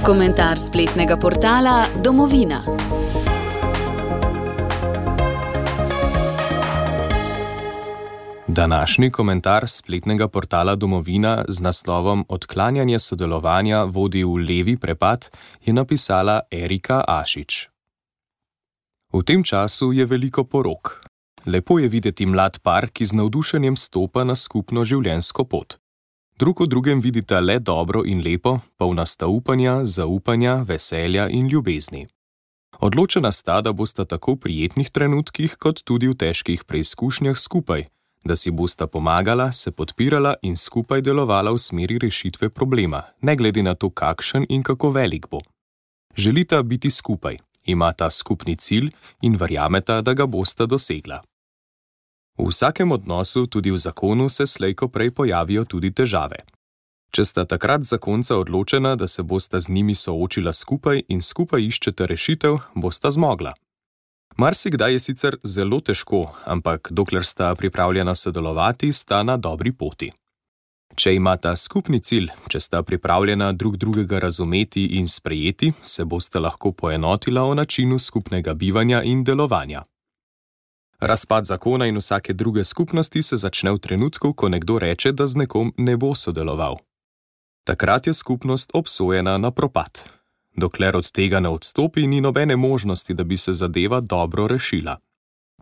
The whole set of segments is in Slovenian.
Komentar spletnega portala Domovina. Današnji komentar spletnega portala Domovina z naslovom Odklanjanje sodelovanja vodi v levi prepad je napisala Erika Ašič. V tem času je veliko porok. Lepo je videti mlad par, ki z navdušenjem stopa na skupno življenjsko pot. Drug v drugem vidita le dobro in lepo, polna sta upanja, zaupanja, veselja in ljubezni. Odločena sta, da bosta tako v prijetnih trenutkih, kot tudi v težkih preizkušnjah skupaj, da si bosta pomagala, se podpirala in skupaj delovala v smeri rešitve problema, ne glede na to, kakšen in kako velik bo. Želita biti skupaj, imata skupni cilj in verjameta, da ga bosta dosegla. V vsakem odnosu, tudi v zakonu, se slej ko prej pojavijo tudi težave. Če sta takrat zakonca odločena, da se bosta z njimi soočila skupaj in skupaj iščeta rešitev, bosta zmogla. Marsikdaj je sicer zelo težko, ampak dokler sta pripravljena sodelovati, sta na dobri poti. Če imata skupni cilj, če sta pripravljena drug drugega razumeti in sprejeti, se bosta lahko poenotila o načinu skupnega bivanja in delovanja. Razpad zakona in vsake druge skupnosti se začne v trenutku, ko nekdo reče, da z nekom ne bo sodeloval. Takrat je skupnost obsojena na propad. Dokler od tega ne odstopi, ni nobene možnosti, da bi se zadeva dobro rešila.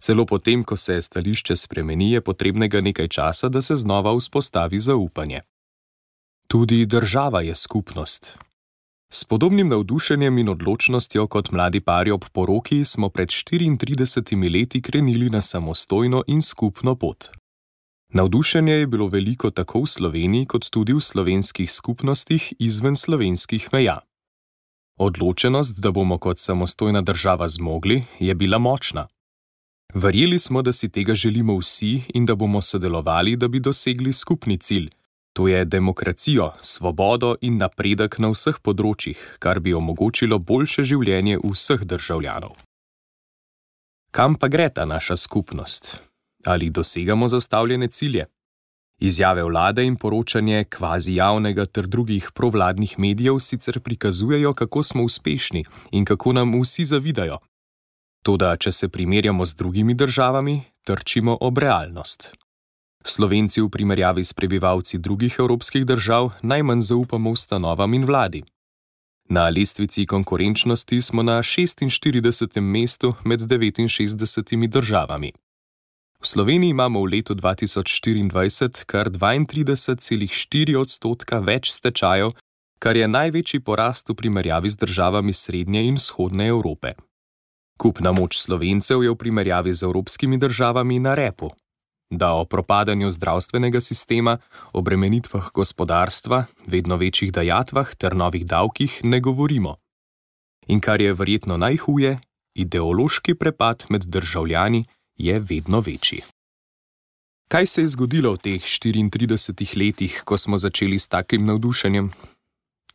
Celo potem, ko se stališče spremeni, je potrebnega nekaj časa, da se znova vzpostavi zaupanje. Tudi država je skupnost. S podobnim navdušenjem in odločnostjo kot mladi pari ob poroki smo pred 34 leti krenili na samostojno in skupno pot. Navdušenje je bilo veliko tako v Sloveniji, kot tudi v slovenskih skupnostih izven slovenskih meja. Odločenost, da bomo kot samostojna država zmogli, je bila močna. Verjeli smo, da si tega želimo vsi in da bomo sodelovali, da bi dosegli skupni cilj, to je demokracijo, svobodo in napredek na vseh področjih, kar bi omogočilo boljše življenje vseh državljanov. Kam pa gre ta naša skupnost? Ali dosegamo zastavljene cilje? Izjave vlade in poročanje kvazi javnega ter drugih provladnih medijev sicer prikazujejo, kako smo uspešni in kako nam vsi zavidajo. Toda, če se primerjamo z drugimi državami, trčimo ob realnost. Slovenci v primerjavi s prebivalci drugih evropskih držav najmanj zaupamo ustanovam in vladi. Na lestvici konkurenčnosti smo na 46. mestu med 69 državami. V Sloveniji imamo v letu 2024 kar 32,4% več stečajev, kar je največji porast v primerjavi z državami srednje in vzhodne Evrope. Kupna moč Slovencev je v primerjavi z evropskimi državami na repu. Da o propadanju zdravstvenega sistema, obremenitvah gospodarstva, vedno večjih dajatvah ter novih davkih ne govorimo. In kar je verjetno najhuje, ideološki prepad med državljani je vedno večji. Kaj se je zgodilo v teh 34 letih, ko smo začeli s takim navdušenjem?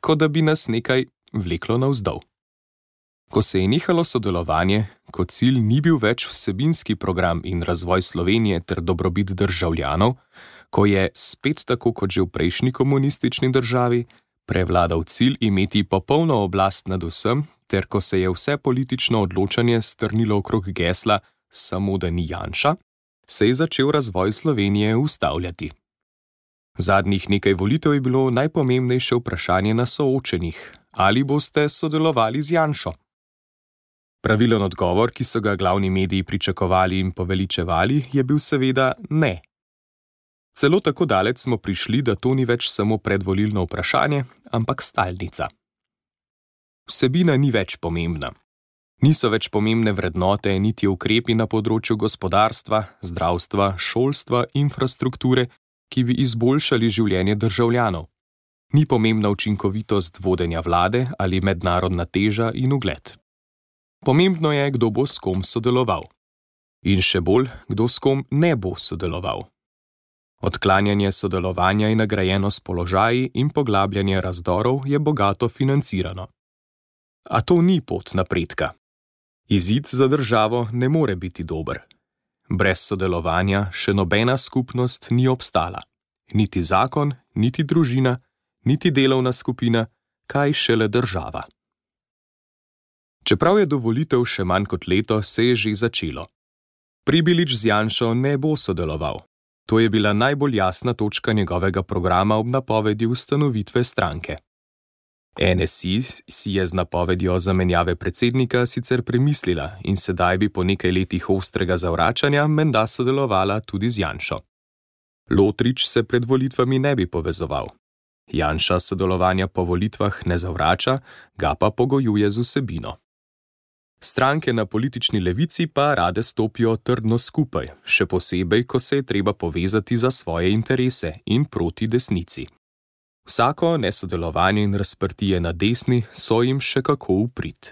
Kot da bi nas nekaj vleklo navzdol. Ko se je nehalo sodelovanje, ko cilj ni bil več vsebinski program in razvoj Slovenije ter dobrobit državljanov, ko je, spet tako kot že v prejšnji komunistični državi, prevladal cilj imeti popolno oblast nad vsem, ter ko se je vse politično odločanje strnilo okrog gesla samo da ni Janša, se je začel razvoj Slovenije ustavljati. Zadnjih nekaj volitev je bilo najpomembnejše vprašanje na soočenjih, ali boste sodelovali z Janšo. Pravilen odgovor, ki so ga glavni mediji pričakovali in poveličevali, je bil seveda ne. Celo tako daleč smo prišli, da to ni več samo predvolilno vprašanje, ampak stalnica. Vsebina ni več pomembna. Niso več pomembne vrednote, niti ukrepi na področju gospodarstva, zdravstva, šolstva, infrastrukture, ki bi izboljšali življenje državljanov. Ni pomembna učinkovitost vodenja vlade ali mednarodna teža in ugled. Pomembno je, kdo bo s kom sodeloval. In še bolj, kdo s kom ne bo sodeloval. Odklanjanje sodelovanja je nagrajeno s položaji in poglabljanje razdorov je bogato financirano. A to ni pot napredka. Izid za državo ne more biti dober. Brez sodelovanja še nobena skupnost ni obstala. Niti zakon, niti družina, niti delovna skupina, kaj šele država. Čeprav je do volitev še manj kot leto, se je že začelo. Pribilič z Janšo ne bo sodeloval. To je bila najbolj jasna točka njegovega programa ob napovedi ustanovitve stranke. NSI si je z napovedjo zamenjave predsednika sicer premislila in sedaj bi po nekaj letih ostrega zavračanja menda sodelovala tudi z Janšo. Lotrič se pred volitvami ne bi povezoval. Janša sodelovanja po volitvah ne zavrača, ga pa pogojuje z vsebino. Stranke na politični levici pa rade stopijo trdno skupaj, še posebej, ko se je treba povezati za svoje interese in proti desnici. Vsako nesodelovanje in razprtije na desni so jim še kako v prid.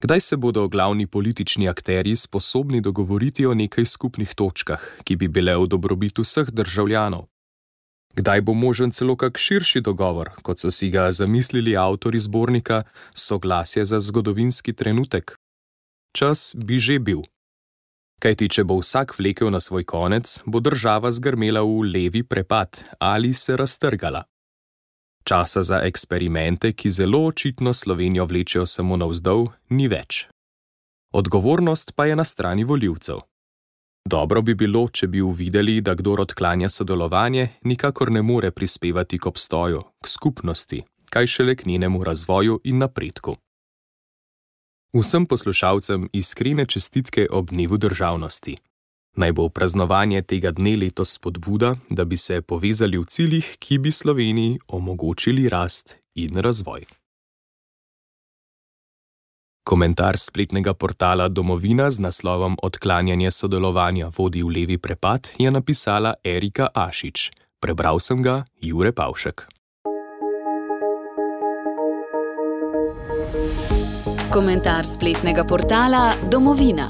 Kdaj se bodo glavni politični akterji sposobni dogovoriti o nekaj skupnih točkah, ki bi bile v dobrobit vseh državljanov? Kdaj bo možen celo kak širši dogovor, kot so si ga zamislili avtorji zbornika Soglasje za zgodovinski trenutek? Čas bi že bil. Kajti, če bo vsak vlekel na svoj konec, bo država zgrmela v levi prepad ali se raztrgala. Časa za eksperimente, ki zelo očitno Slovenijo vlečejo samo navzdol, ni več. Odgovornost pa je na strani volivcev. Dobro bi bilo, če bi uvideli, da kdor odklanja sodelovanje, nikakor ne more prispevati k obstoju, k skupnosti, kaj šele k njenemu razvoju in napredku. Vsem poslušalcem iskrene čestitke ob dnevu državnosti. Naj bo praznovanje tega dne letos spodbuda, da bi se povezali v ciljih, ki bi Sloveniji omogočili rast in razvoj. Komentar spletnega portala Domovina z naslovom Odklanjanje sodelovanja vodi v levi prepad je napisala Erika Ašič. Prebral sem ga Jure Pavšek. Komentar spletnega portala Domovina.